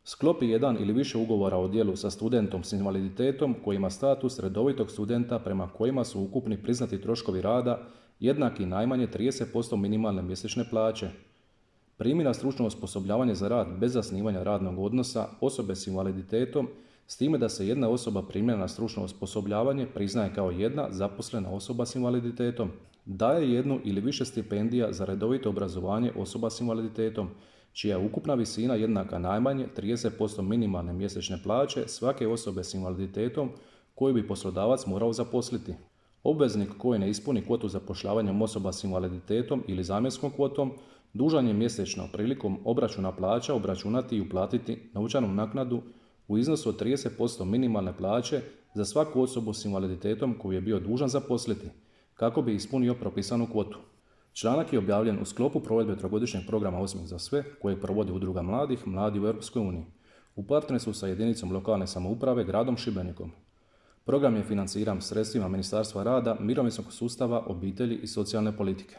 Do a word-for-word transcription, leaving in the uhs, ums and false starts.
Sklopi jedan ili više ugovora o djelu sa studentom s invaliditetom koji ima status redovitog studenta prema kojima su ukupni priznati troškovi rada jednaki najmanje trideset posto minimalne mjesečne plaće. Primi na stručno osposobljavanje za rad bez zasnivanja radnog odnosa osobe s invaliditetom, s time da se jedna osoba primljena na stručno osposobljavanje priznaje kao jedna zaposlena osoba s invaliditetom. Daje jednu ili više stipendija za redovito obrazovanje osoba s invaliditetom, čija je ukupna visina jednaka najmanje trideset posto minimalne mjesečne plaće svake osobe s invaliditetom koju bi poslodavac morao zaposliti. Obveznik koji ne ispuni kvotu zapošljavanjem osoba s invaliditetom ili zamjenskom kvotom, dužan je mjesečno prilikom obračuna plaća obračunati i uplatiti novčanu naknadu u iznosu od trideset posto minimalne plaće za svaku osobu s invaliditetom koju je bio dužan zaposliti, kako bi ispunio propisanu kvotu. Članak je objavljen u sklopu provedbe trogodišnjeg programa Osmijeh za sve koje provodi Udruga mladih Mladi u Europskoj uniji u partnerstvu sa jedinicom lokalne samouprave gradom Šibenikom. Program je financiran sredstvima Ministarstva rada, mirovinskog sustava, obitelji i socijalne politike.